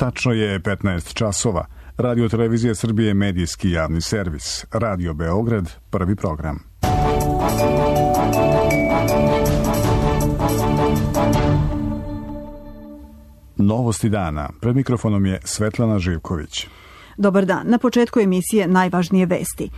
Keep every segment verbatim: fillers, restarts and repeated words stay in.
Tačno je petnaest časova. Radio Televizija Srbije, medijski javni servis. Radio Beograd, prvi program. Novosti dana. Pred mikrofonom je Svetlana Živković. Dobar dan. Na početku emisije najvažnije vesti.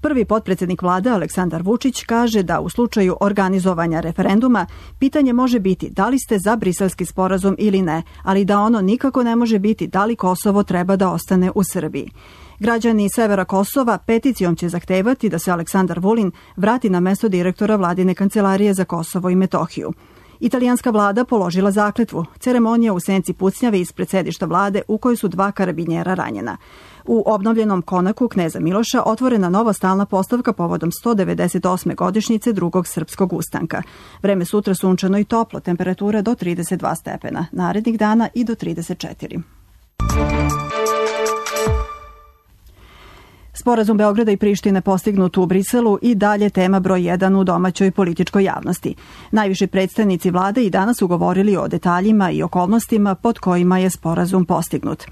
Prvi potpredsjednik vlade Aleksandar Vučić kaže da u slučaju organizovanja referenduma pitanje može biti da li ste za briselski sporazum ili ne, ali da ono nikako ne može biti da li Kosovo treba da ostane u Srbiji. Građani severa Kosova peticijom će zahtevati da se Aleksandar Vulin vrati na mesto direktora vladine kancelarije za Kosovo i Metohiju. Italijanska vlada položila zakletvu. Ceremonija u senci pucnjave ispred sedišta vlade u kojoj su dva karabinjera ranjena. U obnovljenom konaku kneza Miloša otvorena nova stalna postavka povodom sto devedeset osme godišnjice drugog srpskog ustanka. Vreme sutra sunčano i toplo, temperatura do trideset dva stepena, narednih dana i do trideset četiri. Sporazum Beograda i Prištine postignut u Briselu i dalje tema broj jedan u domaćoj političkoj javnosti. Najviši predstavnici vlade i danas su govorili o detaljima i okolnostima pod kojima je sporazum postignut.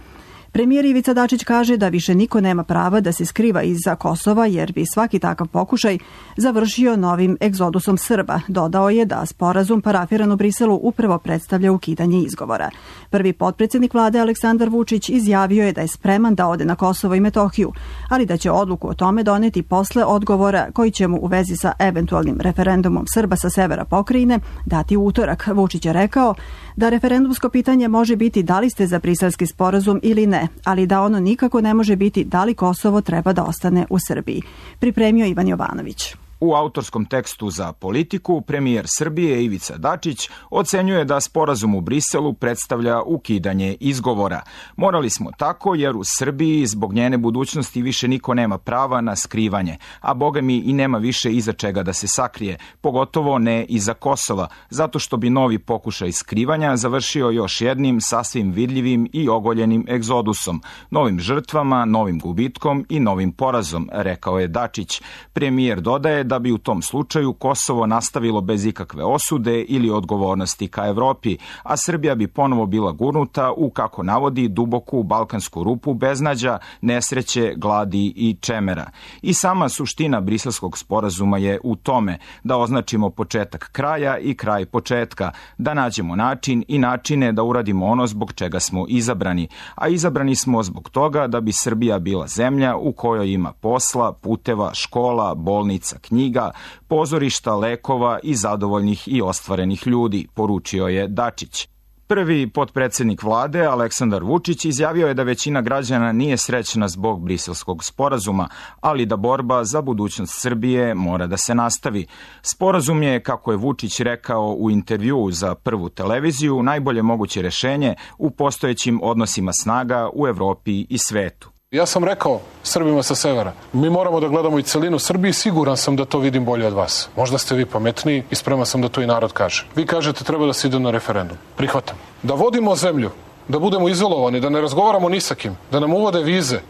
Premijer Ivica Dačić kaže da više niko nema prava da se skriva iza Kosova jer bi svaki takav pokušaj završio novim egzodusom Srba. Dodao je da sporazum parafiran u Briselu upravo predstavlja ukidanje izgovora. Prvi potpredsjednik vlade Aleksandar Vučić izjavio je da je spreman da ode na Kosovo i Metohiju, ali da će odluku o tome doneti posle odgovora koji će mu u vezi sa eventualnim referendumom Srba sa severa pokrajine dati u utorak. Vučić je rekao da referendumsko pitanje može biti da li ste za briselski sporazum ili ne, ali da ono nikako ne može biti da li Kosovo treba da ostane u Srbiji. Pripremio Ivan Jovanović. U autorskom tekstu za Politiku, premijer Srbije Ivica Dačić ocenjuje da sporazum u Briselu predstavlja ukidanje izgovora. Morali smo tako jer u Srbiji zbog njene budućnosti više niko nema prava na skrivanje, a boga mi i nema više iza čega da se sakrije, pogotovo ne iza Kosova, zato što bi novi pokušaj skrivanja završio još jednim sasvim vidljivim i ogoljenim egzodusom, novim žrtvama, novim gubitkom i novim porazom, rekao je Dačić. Premijer dodaje da bi u tom slučaju Kosovo nastavilo bez ikakve osude ili odgovornosti ka Evropi, a Srbija bi ponovo bila gurnuta u, kako navodi, duboku balkansku rupu beznađa, nesreće, gladi i čemera. I sama suština briselskog sporazuma je u tome da označimo početak kraja i kraj početka, da nađemo način i načine da uradimo ono zbog čega smo izabrani, a izabrani smo zbog toga da bi Srbija bila zemlja u kojoj ima posla, puteva, škola, bolnica, knjiga, knjiga, pozorišta, lekova i zadovoljnih i ostvarenih ljudi, poručio je Dačić. Prvi potpredsjednik vlade, Aleksandar Vučić, izjavio je da većina građana nije srećna zbog briselskog sporazuma, ali da borba za budućnost Srbije mora da se nastavi. Sporazum je, kako je Vučić rekao u intervjuu za Prvu televiziju, najbolje moguće rešenje u postojećim odnosima snaga u Evropi i svetu. Ja sam rekao Srbima sa severa, mi moramo da gledamo i celinu Srbiji, siguran sam da to vidim bolje od vas. Možda ste vi pametniji i spreman sam da to i narod kaže. Vi kažete treba da se ide na referendum. Prihvatam. Da vodimo zemlju, da budemo izolovani, da ne razgovaramo ni sa kim, da nam uvode vize,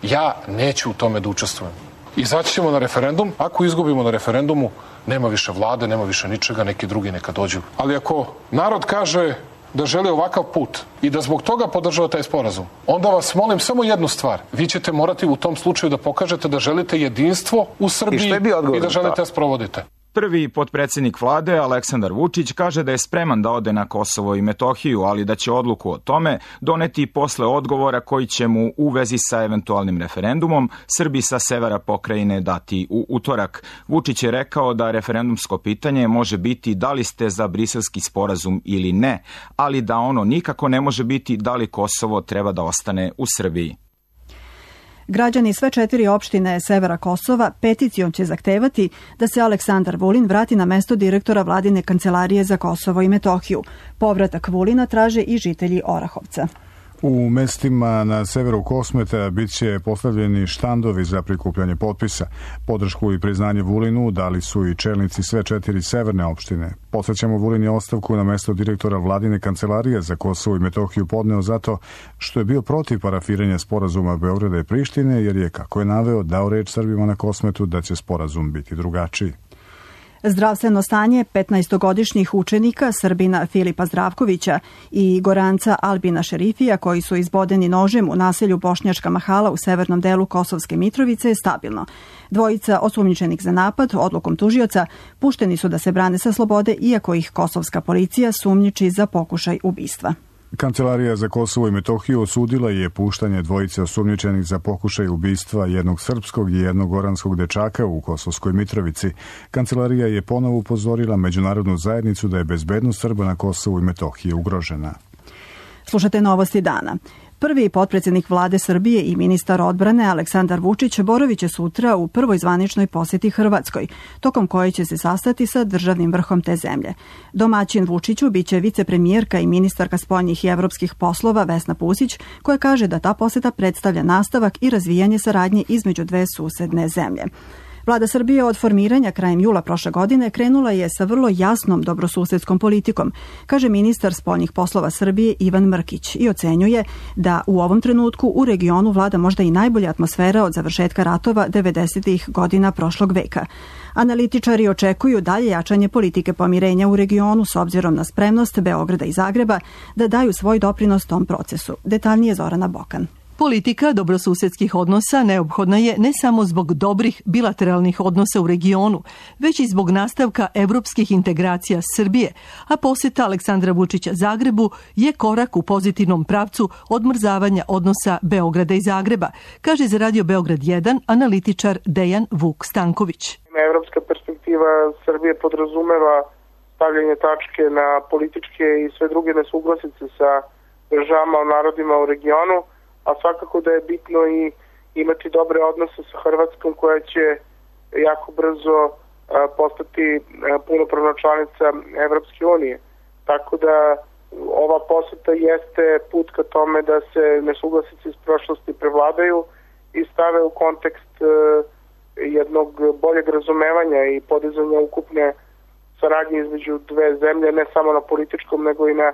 ja neću u tome da učestvujem. Izaći ćemo na referendum, ako izgubimo na referendumu, nema više vlade, nema više ničega, neki drugi neka dođu. Ali ako narod kaže da želi ovakav put i da zbog toga podržava taj sporazum, onda vas molim samo jednu stvar. Vi ćete morati u tom slučaju da pokažete da želite jedinstvo u Srbiji i, i da želite da sprovodite. Prvi potpredsjednik vlade, Aleksandar Vučić, kaže da je spreman da ode na Kosovo i Metohiju, ali da će odluku o tome doneti posle odgovora koji će mu u vezi sa eventualnim referendumom Srbi sa severa pokrajine dati u utorak. Vučić je rekao da referendumsko pitanje može biti da li ste za briselski sporazum ili ne, ali da ono nikako ne može biti da li Kosovo treba da ostane u Srbiji. Građani sve četiri opštine severa Kosova peticijom će zahtevati da se Aleksandar Vulin vrati na mesto direktora vladine kancelarije za Kosovo i Metohiju. Povratak Vulina traže i žitelji Orahovca. U mestima na severu Kosmeta bit će postavljeni štandovi za prikupljanje potpisa. Podršku i priznanje Vulinu dali su i čelnici sve četiri severne opštine. Podsećamo, Vulin je ostavku na mesto direktora vladine kancelarije za Kosovo i Metohiju podneo zato što je bio protiv parafiranja sporazuma Beograda i Prištine, jer je, kako je naveo, dao reč Srbima na Kosmetu da će sporazum biti drugačiji. Zdravstveno stanje petnaestogodišnjih učenika Srbina Filipa Zdravkovića i Goranca Albina Šerifija, koji su izbodeni nožem u naselju Bošnjačka Mahala u severnom delu Kosovske Mitrovice, je stabilno. Dvojica osumnjičenih za napad odlukom tužioca pušteni su da se brane sa slobode, iako ih kosovska policija sumnjiči za pokušaj ubistva. Kancelarija za Kosovo i Metohiju osudila je puštanje dvojice osumnjičenih za pokušaj ubistva jednog srpskog i jednog goranskog dečaka u Kosovskoj Mitrovici. Kancelarija je ponovo upozorila međunarodnu zajednicu da je bezbednost Srba na Kosovu i Metohiji ugrožena. Slušate novosti dana. Prvi potpredsjednik vlade Srbije i ministar odbrane Aleksandar Vučić boraviće sutra u prvoj zvaničnoj posjeti Hrvatskoj, tokom koje će se sastati sa državnim vrhom te zemlje. Domaćin Vučiću biće vicepremijerka i ministarka spoljnih i evropskih poslova Vesna Pusić, koja kaže da ta posjeta predstavlja nastavak i razvijanje saradnje između dve susedne zemlje. Vlada Srbije od formiranja krajem jula prošle godine krenula je sa vrlo jasnom dobrosusedskom politikom, kaže ministar spoljnih poslova Srbije Ivan Mrkić, i ocenjuje da u ovom trenutku u regionu vlada možda i najbolja atmosfera od završetka ratova devedesetih godina prošlog veka. Analitičari očekuju dalje jačanje politike pomirenja u regionu s obzirom na spremnost Beograda i Zagreba da daju svoj doprinos tom procesu. Detaljnije Zorana Bokan. Politika dobrosusedskih odnosa neophodna je ne samo zbog dobrih bilateralnih odnosa u regionu, već i zbog nastavka evropskih integracija Srbije, a posjeta Aleksandra Vučića Zagrebu je korak u pozitivnom pravcu odmrzavanja odnosa Beograda i Zagreba, kaže za Radio Beograd jedan analitičar Dejan Vuk Stanković. Evropska perspektiva Srbije podrazumeva stavljanje tačke na političke i sve druge nesuglasice sa državama, narodima u regionu, a svakako da je bitno i imati dobre odnose sa Hrvatskom, koja će jako brzo postati punopravna članica Evropske unije. Tako da ova poseta jeste put ka tome da se nesuglasice iz prošlosti prevladaju i stave u kontekst jednog boljeg razumevanja i podizanja ukupne saradnje između dve zemlje, ne samo na političkom, nego i na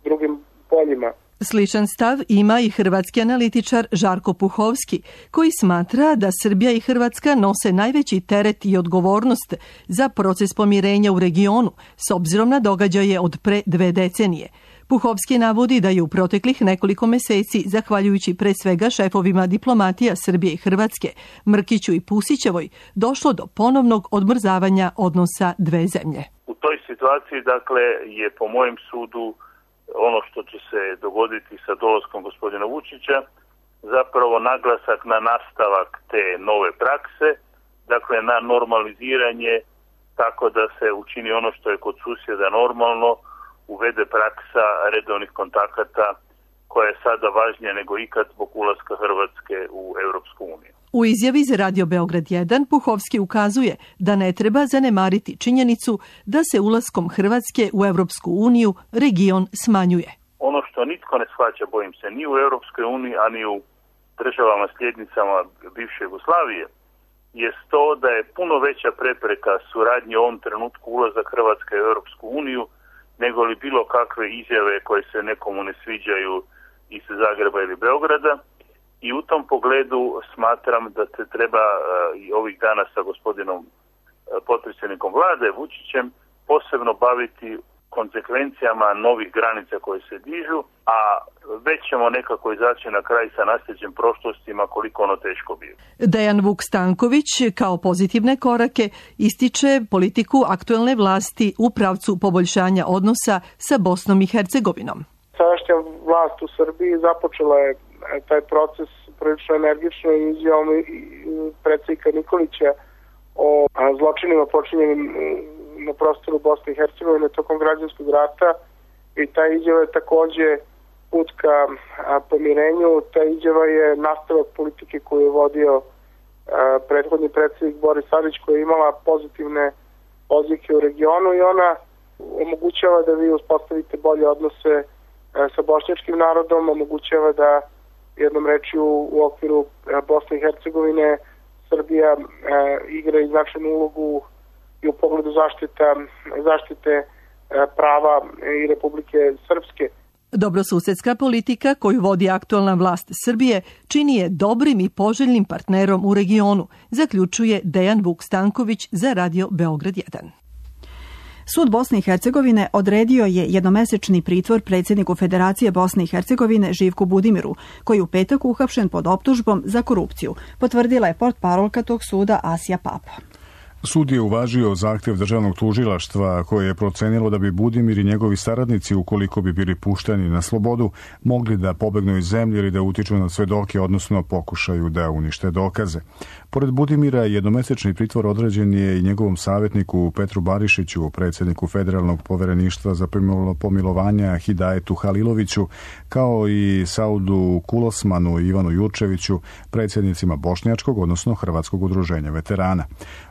drugim poljima. Sličan stav ima i hrvatski analitičar Žarko Puhovski, koji smatra da Srbija i Hrvatska nose najveći teret i odgovornost za proces pomirenja u regionu, s obzirom na događaje od pre dve decenije. Puhovski navodi da je u proteklih nekoliko meseci, zahvaljujući pre svega šefovima diplomatija Srbije i Hrvatske, Mrkiću i Pusićevoj, došlo do ponovnog odmrzavanja odnosa dve zemlje. U toj situaciji, dakle, je po mojem sudu ono što će se dogoditi sa dolaskom gospodina Vučića, zapravo naglasak na nastavak te nove prakse, dakle na normaliziranje, tako da se učini ono što je kod susjeda normalno, uvede praksa redovnih kontakata koja je sada važnija nego ikad zbog ulaska Hrvatske u Europsku uniju. U izjavi za Radio Beograd jedan Puhovski ukazuje da ne treba zanemariti činjenicu da se ulaskom Hrvatske u Europsku uniju region smanjuje. Ono što nitko ne shvaća, bojim se, ni u Europskoj uniji, a ni u državama sljednicama bivše Jugoslavije, je to da je puno veća prepreka suradnje u ovom trenutku ulazak Hrvatske u Europsku uniju nego li bilo kakve izjave koje se nekomu ne sviđaju iz Zagreba ili Beograda. I u tom pogledu smatram da se treba i ovih dana sa gospodinom potpredsjednikom vlade Vučićem posebno baviti konsekvencijama novih granica koje se dižu, a već ćemo nekako izaći na kraj sa nasljeđem prošlostima koliko ono teško bilo. Dejan Vuk Stanković kao pozitivne korake ističe politiku aktuelne vlasti u pravcu poboljšanja odnosa sa Bosnom i Hercegovinom. Sadašnja vlast u Srbiji započela je taj proces prilično energično i izjavom predsjednika Nikolića o zločinima počinjenim na prostoru Bosne i Hercegovine tokom građanskog rata, i ta izjava je takođe put ka pomirenju. Ta izjava je nastavak politike koju je vodio prethodni predsjednik Boris Tadić, koja je imala pozitivne odjeke u regionu, i ona omogućava da vi uspostavite bolje odnose sa bošnjačkim narodom, omogućava da jednom rečju u okviru Bosne i Hercegovine Srbija e, igra i značajnu ulogu i u pogledu zaštita, zaštite e, prava i Republike Srpske. Dobrosusedska politika koju vodi aktualna vlast Srbije čini je dobrim i poželjnim partnerom u regionu, zaključuje Dejan Vuk Stanković za Radio Beograd jedan. Sud Bosne i Hercegovine odredio je jednomesečni pritvor predsjedniku Federacije Bosne i Hercegovine Živku Budimiru, koji u petak uhapšen pod optužbom za korupciju, potvrdila je portparolka tog suda Asija Papa. Sud je uvažio zahtjev državnog tužilaštva koje je procenilo da bi Budimir i njegovi saradnici, ukoliko bi bili pušteni na slobodu, mogli da pobegnu iz zemlje ili da utiču na svedoke, odnosno pokušaju da unište dokaze. Pored Budimira, jednomesečni pritvor određen je i njegovom savjetniku Petru Barišiću, predsjedniku Federalnog povereništva za pomilovanja Hidajetu Haliloviću, kao i Saudu Kulosmanu i Ivanu Jurčeviću, predsjednicima Bošnjačkog, odnosno Hrvatskog udruženja veterana.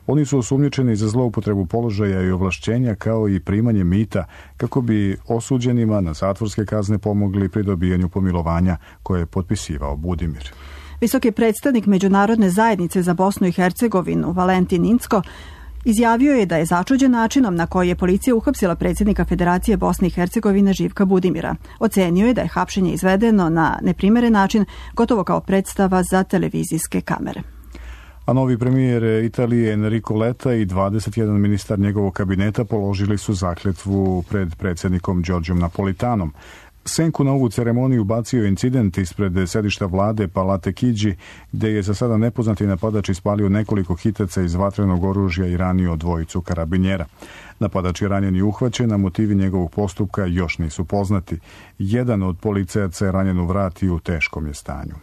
Oni su osumnjičeni za zloupotrebu položaja i ovlašćenja kao i primanje mita kako bi osuđenima na zatvorske kazne pomogli pri dobijanju pomilovanja koje je potpisivao Budimir. Visoki predstavnik Međunarodne zajednice za Bosnu i Hercegovinu Valentin Incko izjavio je da je začuđen načinom na koji je policija uhapsila predsjednika Federacije Bosne i Hercegovine Živka Budimira. Ocenio je da je hapšenje izvedeno na neprimeren način, gotovo kao predstava za televizijske kamere. A novi premijer Italije Enrico Letta i dvadeset jedan ministar njegovog kabineta položili su zakletvu pred predsjednikom Đorđom Napolitanom. Senku na ovu ceremoniju bacio incident ispred sedišta vlade Palate Chigi, gde je za sada nepoznati napadač ispalio nekoliko hitaca iz vatrenog oružja i ranio dvojicu karabinjera. Napadač je ranjen i uhvaćen, a motivi njegovog postupka još nisu poznati. Jedan od policajaca je ranjen u vrat i u teškom je stanju.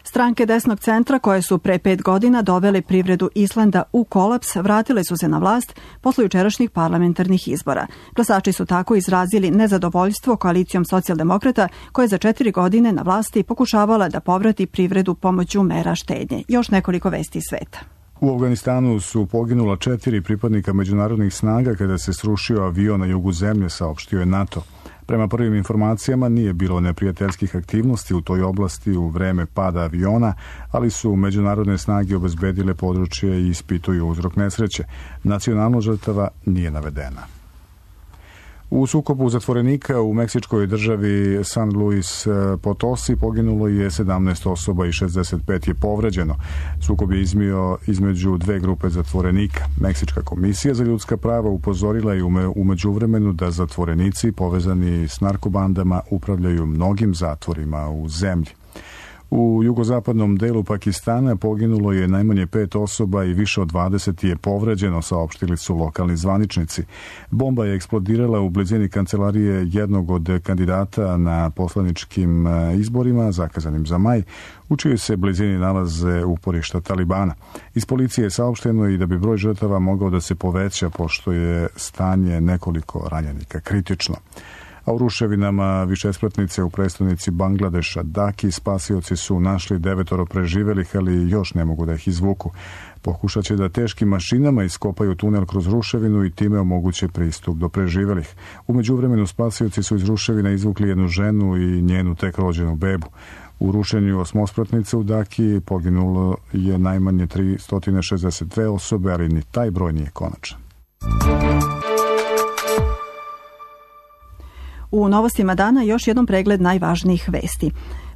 Stranke desnog centra koje su pre pet godina dovele privredu Islanda u kolaps vratile su se na vlast posle jučerašnjih parlamentarnih izbora. Glasači su tako izrazili nezadovoljstvo koalicijom socijaldemokrata koja je za četiri godine na vlasti pokušavala da povrati privredu pomoću mera štednje. Još nekoliko vesti iz sveta. U Afganistanu su poginula četiri pripadnika međunarodnih snaga kada se srušio avion na jugu zemlje, saopštio je NATO. Prema prvim informacijama nije bilo neprijateljskih aktivnosti u toj oblasti u vreme pada aviona, ali su međunarodne snage obezbedile područje i ispituju uzrok nesreće. Nacionalno žrtava nije navedena. U sukobu zatvorenika u meksičkoj državi San Luis Potosi poginulo je sedamnaest osoba i šezdeset pet je povređeno. Sukob je izmio između dve grupe zatvorenika. Meksička komisija za ljudska prava upozorila je u međuvremenu da zatvorenici povezani s narkobandama upravljaju mnogim zatvorima u zemlji. U jugozapadnom delu Pakistana poginulo je najmanje pet osoba i više od dvadeset je povređeno, saopštili su lokalni zvaničnici. Bomba je eksplodirala u blizini kancelarije jednog od kandidata na poslaničkim izborima, zakazanim za maj, u čijoj se blizini nalaze uporišta Talibana. Iz policije je saopšteno i da bi broj žrtava mogao da se poveća, pošto je stanje nekoliko ranjenika kritično. A u ruševinama višespratnice u prestonici Bangladeša Daki spasioci su našli devetoro preživelih, ali još ne mogu da ih izvuku. Pokušat će da teškim mašinama iskopaju tunel kroz ruševinu i time omoguće pristup do preživelih. U međuvremenu spasioci su iz ruševina izvukli jednu ženu i njenu tek rođenu bebu. U rušenju osmospratnice u Daki poginulo je najmanje tristo šezdeset dve osobe, ali ni taj broj nije konačan. U novostima dana još jednom pregled najvažnijih vesti.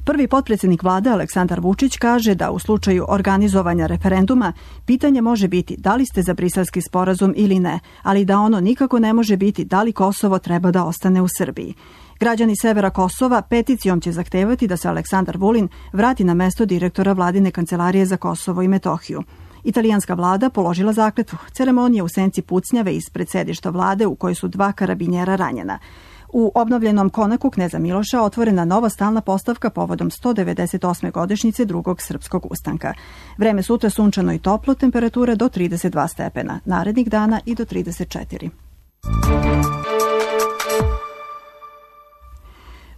Prvi potpredsjednik vlade Aleksandar Vučić kaže da u slučaju organizovanja referenduma pitanje može biti da li ste za briselski sporazum ili ne, ali da ono nikako ne može biti da li Kosovo treba da ostane u Srbiji. Građani severa Kosova peticijom će zahtevati da se Aleksandar Vulin vrati na mesto direktora vladine kancelarije za Kosovo i Metohiju. Italijanska vlada položila zakletvu. Ceremonija u senci pucnjave ispred sedišta vlade u kojoj su dva karabinjera ranjena. U obnovljenom konaku kneza Miloša otvorena nova stalna postavka povodom sto devedeset osme godišnjice drugog srpskog ustanka. Vreme sutra sunčano i toplo, temperatura do trideset dva stepena, narednih dana i do trideset četiri.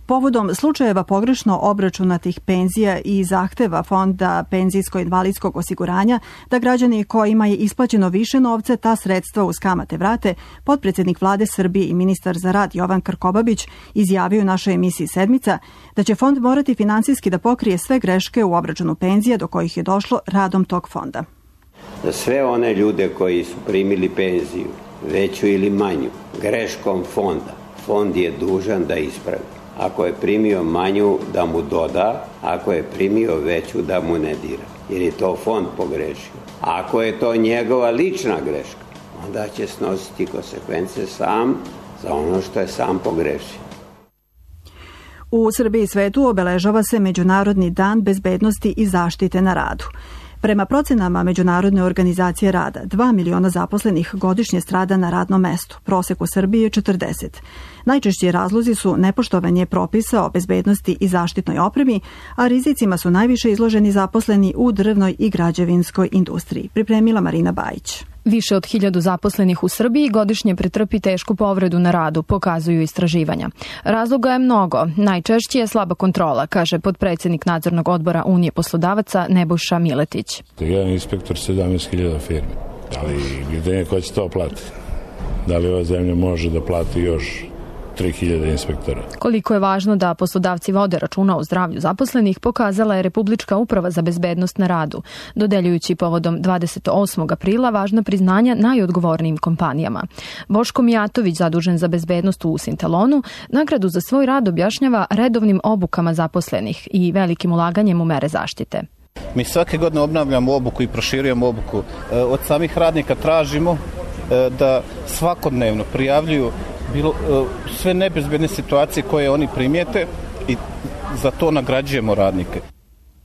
Povodom slučajeva pogrešno obračunatih penzija i zahteva Fonda penzijsko-invalidskog osiguranja da građani kojima je isplaćeno više novca ta sredstva uz kamate vrate, potpredsjednik vlade Srbije i ministar za rad Jovan Krkobabić izjavio u našoj emisiji Sedmica da će fond morati finansijski da pokrije sve greške u obračunu penzija do kojih je došlo radom tog fonda. Za sve one ljude koji su primili penziju, veću ili manju, greškom fonda, fond je dužan da ispravi. Ako je primio manju, da mu doda, ako je primio veću, da mu ne dira. Jer je to fond pogrešio. Ako je to njegova lična greška, onda će snositi konsekvence sam za ono što je sam pogrešio. U Srbiji i svetu obeležava se Međunarodni dan bezbednosti i zaštite na radu. Prema procenama Međunarodne organizacije rada, dva miliona zaposlenih godišnje strada na radnom mestu, prosek u Srbiji je četrdeset. Najčešći razlozi su nepoštovanje propisa o bezbednosti i zaštitnoj opremi, a rizicima su najviše izloženi zaposleni u drvnoj i građevinskoj industriji. Pripremila Marina Bajić. Više od hiljadu zaposlenih u Srbiji godišnje pretrpi tešku povredu na radu, pokazuju istraživanja. Razloga je mnogo. Najčešće je slaba kontrola, kaže potpredsjednik nadzornog odbora Unije poslodavaca Nebojša Miletić. Jedan inspektor sedamnaest hiljada firme. Ali gdje ko će to platiti? Da li ova zemlja može da plati još tri hiljade inspektora? Koliko je važno da poslodavci vode računa o zdravlju zaposlenih, pokazala je Republička uprava za bezbednost na radu, dodeljujući povodom dvadeset osmog aprila važna priznanja najodgovornijim kompanijama. Boško Mijatović, zadužen za bezbednost u Sintalonu, nagradu za svoj rad objašnjava redovnim obukama zaposlenih i velikim ulaganjem u mere zaštite. Mi svake godine obnavljamo obuku i proširujemo obuku. Od samih radnika tražimo da svakodnevno prijavljuju bilo sve nebezbedne situacije koje oni primijete i za to nagrađujemo radnike.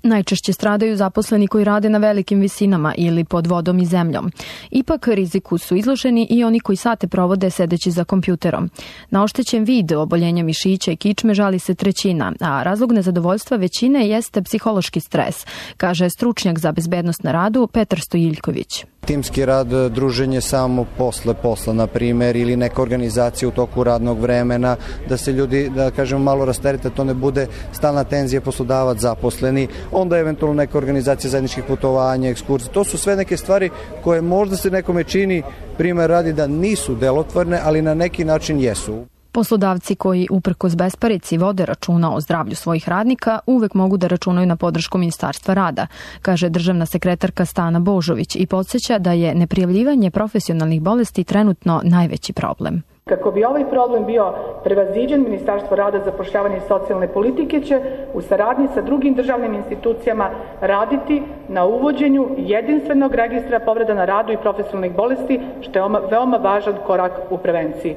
Najčešće stradaju zaposleni koji rade na velikim visinama ili pod vodom i zemljom. Ipak riziku su izloženi i oni koji sate provode sedeći za kompjuterom. Na oštećen vid oboljenja mišića i kičme žali se trećina, a razlog nezadovoljstva većine jeste psihološki stres, kaže stručnjak za bezbednost na radu Petar Stojiljković. Timski rad, druženje samo posle posla, na primjer, ili neka organizacija u toku radnog vremena, da se ljudi, da kažemo, malo rasterete, to ne bude stalna tenzija poslodavac zaposleni, onda eventualno neka organizacija zajedničkih putovanja, ekskurzija. To su sve neke stvari koje možda se nekome čini, primjer radi, da nisu delotvorne, ali na neki način jesu. Poslodavci koji uprkos besparici vode računa o zdravlju svojih radnika uvek mogu da računaju na podršku Ministarstva rada, kaže državna sekretarka Stana Božović i podsjeća da je neprijavljivanje profesionalnih bolesti trenutno najveći problem. Kako bi ovaj problem bio prevaziđen, Ministarstvo rada, zapošljavanja i socijalne politike će u saradnji sa drugim državnim institucijama raditi na uvođenju jedinstvenog registra povreda na radu i profesionalnih bolesti, što je veoma važan korak u prevenciji.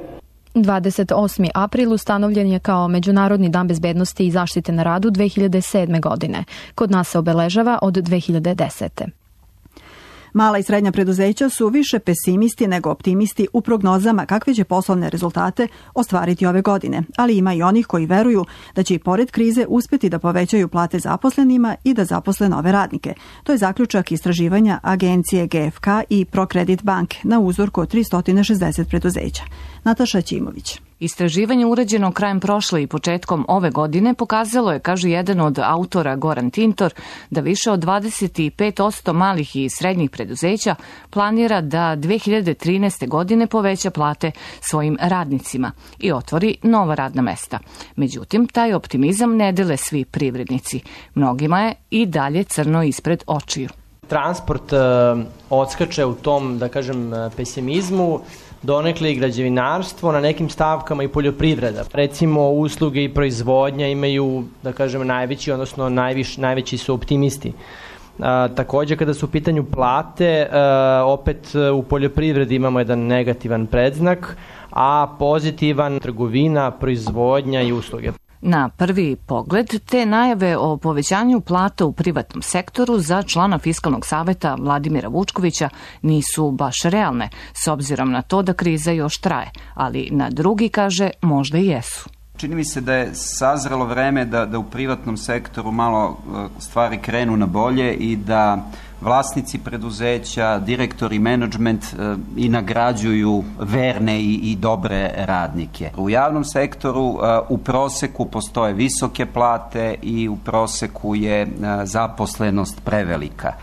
dvadeset osmi april ustanovljen je kao Međunarodni dan bezbednosti i zaštite na radu dve hiljade sedme. godine. Kod nas se obeležava od dve hiljade desete. Mala i srednja preduzeća su više pesimisti nego optimisti u prognozama kakve će poslovne rezultate ostvariti ove godine, ali ima i onih koji veruju da će i pored krize uspeti da povećaju plate zaposlenima i da zaposle nove radnike. To je zaključak istraživanja agencije G F K i ProCredit banke na uzorku od tristo šezdeset preduzeća. Nataša Ćimović. Istraživanje urađeno krajem prošle i početkom ove godine pokazalo je, kaže jedan od autora Goran Tintor, da više od dvadeset pet posto malih i srednjih preduzeća planira da dve hiljade trinaeste. godine poveća plate svojim radnicima i otvori nova radna mesta. Međutim, taj optimizam ne dele svi privrednici. Mnogima je i dalje crno ispred očiju. Transport uh, odskače u tom, da kažem, pesimizmu, donekle i građevinarstvo, na nekim stavkama i poljoprivreda. Recimo, usluge i proizvodnja imaju, da kažem, najveći, odnosno najviš, najveći su optimisti. A, također, kada su u pitanju plate, a, opet u poljoprivredi imamo jedan negativan predznak, a pozitivan trgovina, proizvodnja i usluge. Na prvi pogled, te najave o povećanju plata u privatnom sektoru za člana Fiskalnog saveta Vladimira Vučkovića nisu baš realne, s obzirom na to da kriza još traje, ali na drugi, kaže, možda i jesu. Čini mi se da je sazrelo vreme da, da u privatnom sektoru malo stvari krenu na bolje i da vlasnici preduzeća, direktori, menadžment i nagrađuju verne i, i dobre radnike. U javnom sektoru u proseku postoje visoke plate i u proseku je zaposlenost prevelika.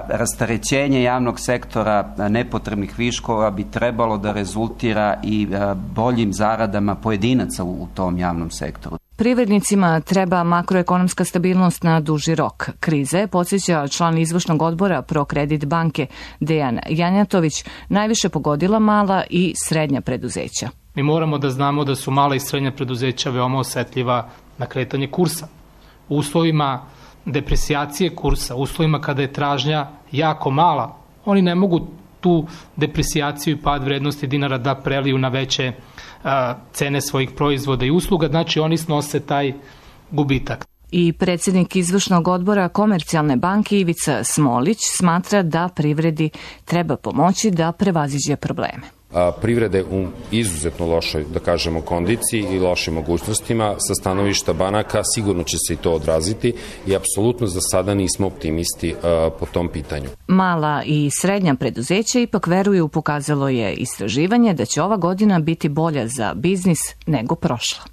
Rasterećenje javnog sektora nepotrebnih viškova bi trebalo da rezultira i boljim zaradama pojedinaca u tom javnom sektoru. Privrednicima treba makroekonomska stabilnost na duži rok. Krize, podsjeća član izvršnog odbora ProCredit banke Dejan Janjatović, najviše pogodila mala i srednja preduzeća. Mi moramo da znamo da su mala i srednja preduzeća veoma osetljiva na kretanje kursa. U uslovima depresijacije kursa, u uslovima kada je tražnja jako mala, oni ne mogu tu depresijaciju i pad vrednosti dinara da preliju na veće a, cene svojih proizvoda i usluga, znači oni snose taj gubitak. I predsjednik izvršnog odbora Komercijalne banke Ivica Smolić smatra da privredi treba pomoći da prevaziđe probleme. A, privrede u izuzetno lošoj, da kažemo, kondiciji i lošim mogućnostima sa stanovišta banaka sigurno će se i to odraziti i apsolutno za sada nismo optimisti a, po tom pitanju. Mala i srednja preduzeća ipak veruju, pokazalo je istraživanje, da će ova godina biti bolja za biznis nego prošla.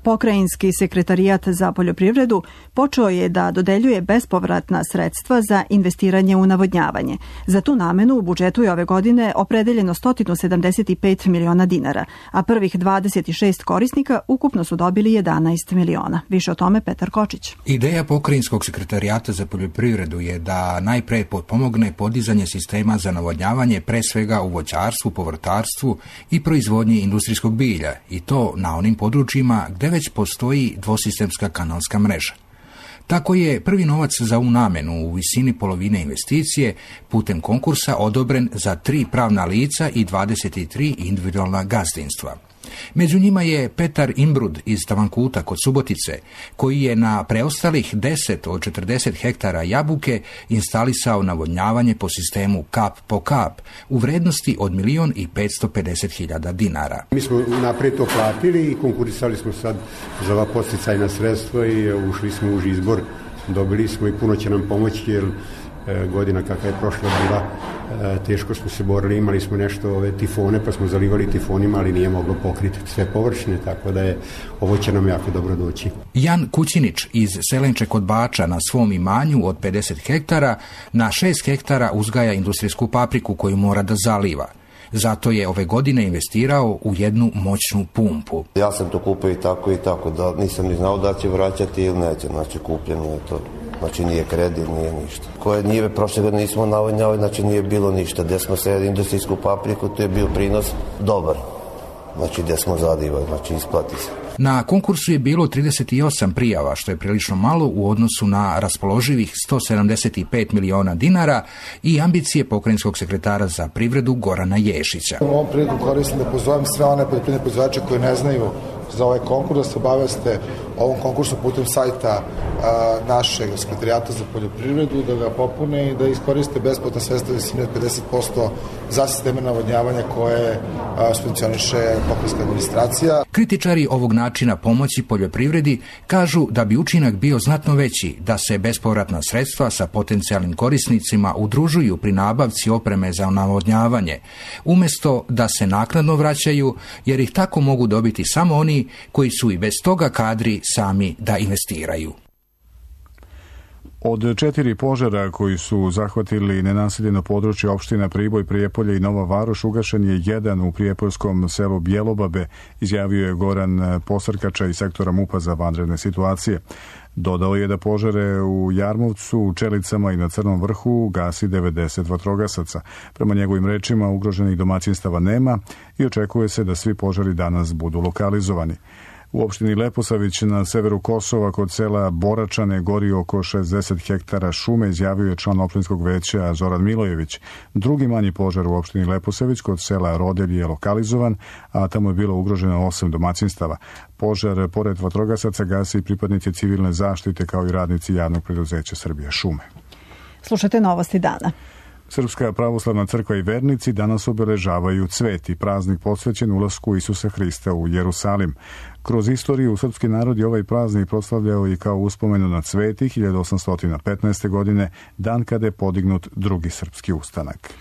Pokrajinski sekretarijat za poljoprivredu počeo je da dodeljuje bespovratna sredstva za investiranje u navodnjavanje. Za tu namenu u budžetu je ove godine opredeljeno sto sedamdeset pet miliona dinara, a prvih dvadeset šest korisnika ukupno su dobili jedanaest miliona. Više o tome Petar Kočić. Ideja Pokrajinskog sekretarijata za poljoprivredu je da najpre potpomogne podizanje sistema za navodnjavanje, pre svega u voćarstvu, povrtarstvu i proizvodnji industrijskog bilja, i to na onim područjima gde već postoji dvosistemska kanalska mreža. Tako je prvi novac za ovu namenu u visini polovine investicije putem konkursa odobren za tri pravna lica i dvadeset tri individualna gazdinstva. Među njima je Petar Imbrud iz Tavankuta kod Subotice, koji je na preostalih deset od četrdeset hektara jabuke instalisao navodnjavanje po sistemu kap po kap u vrednosti od milion i petsto pedeset hiljada dinara. Mi smo naprijed to platili i konkurisali smo sad za ova podsticajna sredstva i ušli smo u izbor. Dobili smo i puno će nam pomoći jer godina kakva je prošla bila, teško smo se borili, imali smo nešto ove tifone, pa smo zalivali tifonima, ali nije moglo pokriti sve površine, tako da je ovo će nam jako dobro doći. Jan Kućinić iz Selenče kod Bača na svom imanju od pedeset hektara na šest hektara uzgaja industrijsku papriku koju mora da zaliva. Zato je ove godine investirao u jednu moćnu pumpu. Ja sam to kupio i tako i tako, da nisam ni znao da će vraćati ili neće, znači kupljeno je to. Znači nije kredit, nije ništa. Koje njive prošle godine nismo navodnjavali, znači nije bilo ništa. Gdje smo sejali industrijsku papriku, to je bio prinos dobar. Znači gdje smo zadivali, znači isplati se. Na konkursu je bilo trideset osam prijava, što je prilično malo u odnosu na raspoloživih sto sedamdeset pet miliona dinara i ambicije pokrajinskog sekretara za privredu Gorana Ješića. U ovom priliku koristim da pozovem sve one poljoprivredne proizvođače koji ne znaju za ovaj konkurs, da se obaveste ovom konkursu putem sajta a, našeg sekretarijata za poljoprivredu, da ga popune i da iskoriste besplatna sredstva visine od pedeset posto za sisteme navodnjavanja koje a, subvencioniše pokrajinska administracija. Kritičari ovog načina pomoći poljoprivredi kažu da bi učinak bio znatno veći da se bespovratna sredstva sa potencijalnim korisnicima udružuju pri nabavci opreme za navodnjavanje, umjesto da se naknadno vraćaju, jer ih tako mogu dobiti samo oni koji su i bez toga kadri sami da investiraju. Od četiri požara koji su zahvatili nenaseljeno područje opština Priboj, Prijepolje i Nova Varoš, ugašen je jedan u prijepoljskom selu Bjelobabe, izjavio je Goran Posrkača iz sektora MUP-a za vanredne situacije. Dodao je da požare u Jarmovcu, Čelicama i na Crnom vrhu gasi devedeset vatrogasaca. Prema njegovim rečima ugroženih domaćinstava nema i očekuje se da svi požari danas budu lokalizovani. U opštini Leposavić na severu Kosova kod sela Boračane gori oko šezdeset hektara šume, izjavio je član opštinskog veća Zoran Milojević. Drugi manji požar u opštini Leposavić kod sela Rodelj je lokalizovan, a tamo je bilo ugroženo osam domaćinstava. Požar, pored vatrogasaca, gasi i pripadnici civilne zaštite kao i radnici javnog preduzeća Srbija šume. Slušajte novosti dana. Srpska pravoslavna crkva i vernici danas obeležavaju Cveti, praznik posvećen ulasku Isusa Hrista u Jerusalim. Kroz istoriju srpski narod je ovaj praznik proslavljao i kao uspomenu na Cveti hiljadu osamsto petnaeste. godine, dan kada je podignut drugi srpski ustanak.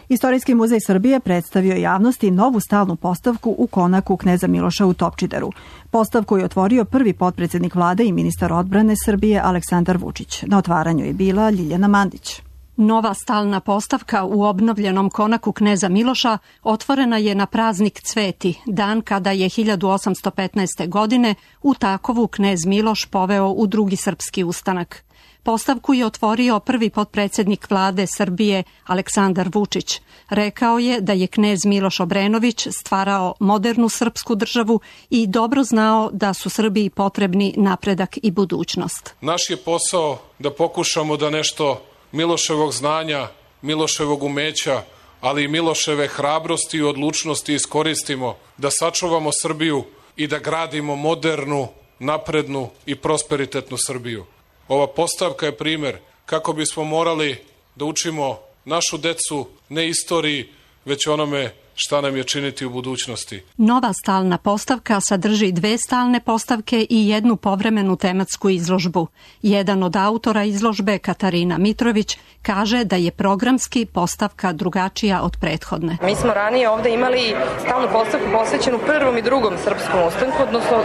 Istorijski muzej Srbije predstavio javnosti novu stalnu postavku u konaku kneza Miloša u Topčideru. Postavku je otvorio prvi potpredsjednik vlade i ministar odbrane Srbije Aleksandar Vučić. Na otvaranju je bila Ljiljana Mandić. Nova stalna postavka u obnovljenom konaku kneza Miloša otvorena je na praznik Cveti, dan kada je hiljadu osamsto petnaeste. godine u Takovu knez Miloš poveo u drugi srpski ustanak. Postavku je otvorio prvi potpredsjednik vlade Srbije Aleksandar Vučić. Rekao je da je knez Miloš Obrenović stvarao modernu srpsku državu i dobro znao da su Srbiji potrebni napredak i budućnost. Naš je posao da pokušamo da nešto Miloševog znanja Miloševog umeća, ali i Miloševe hrabrosti i odlučnosti iskoristimo da sačuvamo Srbiju i da gradimo modernu, naprednu i prosperitetnu Srbiju. Ova postavka je primer kako bismo morali da učimo našu decu ne istoriji, već onome šta nam je činiti u budućnosti. Nova stalna postavka sadrži dve stalne postavke i jednu povremenu tematsku izložbu. Jedan od autora izložbe, Katarina Mitrović, kaže da je programski postavka drugačija od prethodne. Mi smo ranije ovde imali stalnu postavku posvećenu prvom i drugom srpskom ustanku, odnosno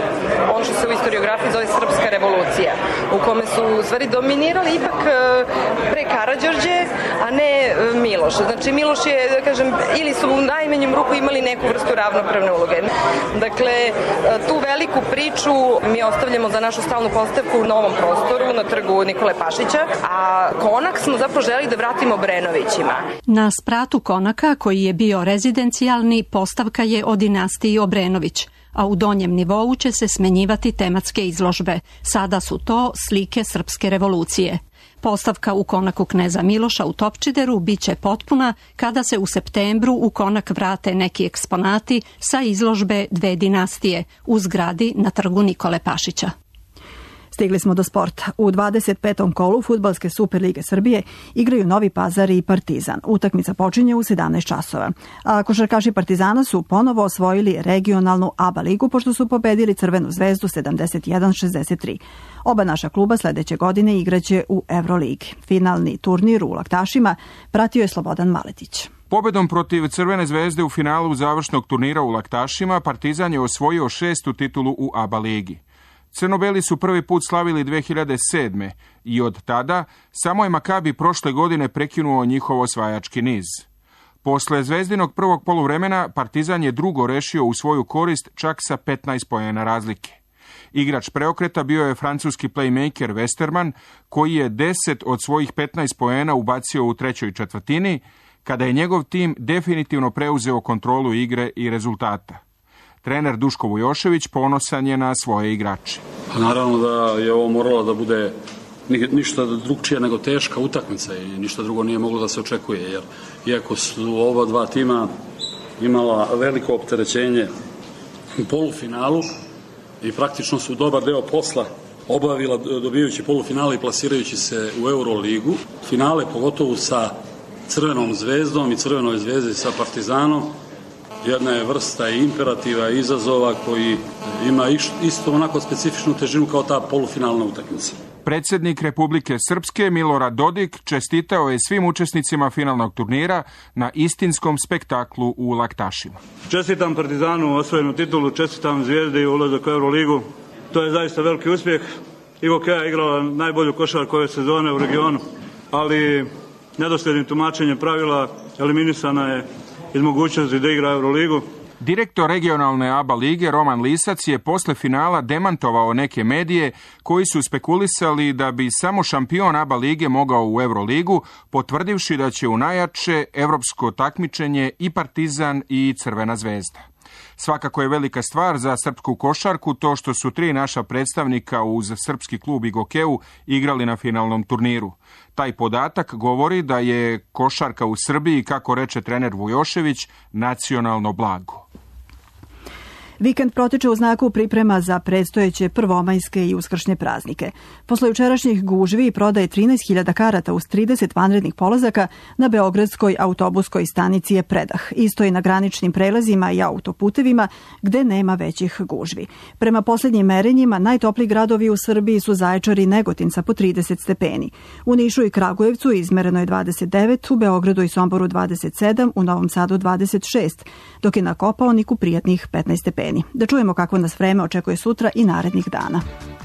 ono što se u istoriografiji zove Srpska revolucija, u kome su u stvari dominirali ipak pre Karađorđe, a ne Miloš. Znači Miloš je, da kažem, ili su u najmanjem ruku imali neku vrstu ravnopravne uloge. Dakle, tu veliku priču mi ostavljamo za našu stalnu postavku u novom prostoru na trgu Nikole Pašića, a konak smo zapravo želi da vratimo Obrenovićima. Na spratu konaka, koji je bio rezidencijalni, postavka je o dinastiji Obrenović, a u donjem nivou će se smenjivati tematske izložbe. Sada su to slike Srpske revolucije. Postavka u konaku kneza Miloša u Topčideru biće potpuna kada se u septembru u konak vrate neki eksponati sa izložbe dve dinastije u zgradi na trgu Nikole Pašića. Stigli smo do sporta. U dvadeset petom kolu Fudbalske Superlige Srbije igraju Novi Pazar i Partizan. Utakmica počinje u sedamnaest časova. A košarkaši Partizana su ponovo osvojili regionalnu A B A ligu pošto su pobedili Crvenu zvezdu sedamdeset jedan šezdeset tri. Oba naša kluba sledeće godine igraće u Euroligi. Finalni turnir u Laktašima pratio je Slobodan Maletić. Pobedom protiv Crvene zvezde u finalu završnog turnira u Laktašima Partizan je osvojio šestu titulu u A B A ligi. Crnobeli su prvi put slavili dve hiljade sedme. i od tada samo je Makabi prošle godine prekinuo njihov osvajački niz. Posle Zvezdinog prvog poluvremena Partizan je drugo rešio u svoju korist čak sa petnaest poena razlike. Igrač preokreta bio je francuski playmaker Westerman, koji je deset od svojih petnaest poena ubacio u trećoj četvrtini, kada je njegov tim definitivno preuzeo kontrolu igre i rezultata. Trener Duško Vujošević ponosan je na svoje igrače. Pa naravno da je ovo moralo da bude ništa drugčije nego teška utakmica i ništa drugo nije moglo da se očekuje, jer iako su oba dva tima imala veliko opterećenje u polufinalu i praktično su dobar deo posla obavila dobijajući polufinale i plasirajući se u Euroligu. Finale, pogotovo sa Crvenom zvezdom i Crvenoj zvezdi sa Partizanom, jedna je vrsta i imperativa i izazova koji ima isto onako specifičnu težinu kao ta polufinalna utakmica. Predsjednik Republike Srpske Milorad Dodik čestitao je svim učesnicima finalnog turnira na istinskom spektaklu u Laktašima. Čestitam Partizanu osvojenu titulu, čestitam Zvijezdi i ulazak u Euroligu. To je zaista veliki uspjeh. Ivo Kea je igrala najbolju košarku ove sezone u regionu, ali nedosljednim tumačenjem pravila eliminisana je iz mogućnosti da igra Euroligu. Direktor regionalne A B A lige Roman Lisac je posle finala demantovao neke medije koji su spekulisali da bi samo šampion A B A lige mogao u Euroligu, potvrdivši da će u najjače evropsko takmičenje i Partizan i Crvena zvezda. Svakako je velika stvar za srpsku košarku to što su tri naša predstavnika uz srpski klub Igokeu igrali na finalnom turniru. Taj podatak govori da je košarka u Srbiji, kako reče trener Vujošević, nacionalno blago. Vikend protiče u znaku priprema za predstojeće prvomajske i uskršnje praznike. Posle jučerašnjih gužvi prodaje trinaest hiljada karata uz trideset vanrednih polazaka na beogradskoj autobuskoj stanici je predah. Isto i na graničnim prelazima i autoputevima gde nema većih gužvi. Prema posljednjim merenjima, najtopliji gradovi u Srbiji su Zaječar i Negotin sa po trideset stepeni. U Nišu i Kragujevcu izmereno je dvadeset devet, u Beogradu i Somboru dvadeset sedam, u Novom Sadu dvadeset šest, dok je na Kopaoniku prijatnih petnaest stepeni. Da čujemo kako nas vreme očekuje sutra i narednih dana.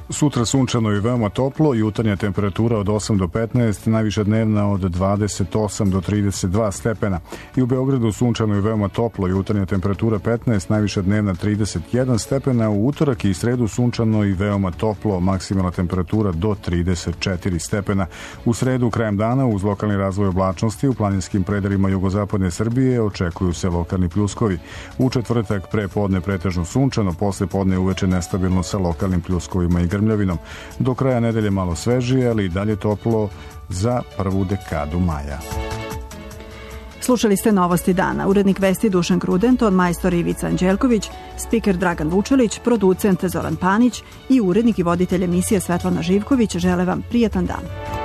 Sutra sunčano i veoma toplo, jutarnja temperatura od osam do petnaest, najviša dnevna od dvadeset osam do trideset dva stepena. I u Beogradu sunčano i veoma toplo, jutarnja temperatura petnaest, najviša dnevna trideset jedan stepena. U utorak i sredu sunčano i veoma toplo, maksimalna temperatura do trideset četiri stepena. U sredu krajem dana uz lokalni razvoj oblačnosti u planinskim predelima jugozapadne Srbije očekuju se lokalni pljuskovi. U četvrtak pre podne pretežno sunčano, posle podne uveče nestabilno sa lokalnim pljuskovima i grmljavinom. Do kraja nedelje malo svežije, ali i dalje toplo za prvu dekadu maja. Slušali ste Novosti dana. Urednik vesti Dušan Gruden, majstor Ivica Anđelković, spiker Dragan Vučelić, producent Zoran Panić i urednik i voditelj emisije Svetlana Živković žele vam prijatan dan.